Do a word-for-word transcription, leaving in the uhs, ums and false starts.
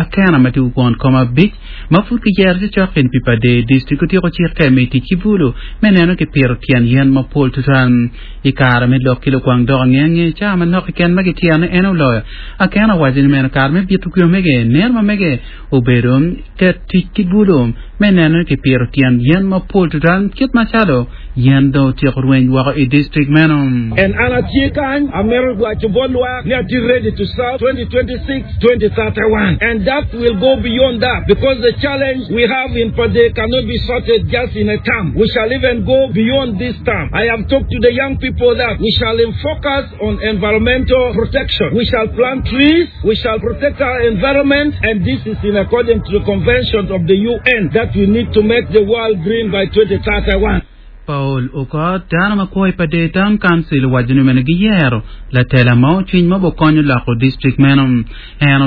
Akena ma tye kwon koma abic ma pud kiyero ci cok kin pi Pader district otyeko cikke me tic ki bulu me neno ki pito tyen yen mapol tutwal i kare me lok ki lukwang dok angenge ca manok keken ma gityene en oloyo Akena owaco ni meno kare me bito kwe mege neno ma mege obedo ket tic ki bulu me neno ni kipito tyen yen mapol tutwal kit macalo yen dong otyeko rweny woko i district meno. And an atye kany amito waco bot lwak ni atye ready to serve twenty twenty-six twenty thirty-one, and that will go beyond that, because the challenge we have in Pader cannot be sorted just in a term. We shall even go beyond this term. I have talked to the young people that we shall focus on environmental protection. We shall plant trees, we shall protect our environment, and this is in accordance to the convention of the U N that we need to make the world green by twenty thirty-one. Paul Okot dano ma kwo i Pader Town Council owaco ni meno giyero latela ma ocwiny ma bokonyo loko district meno en.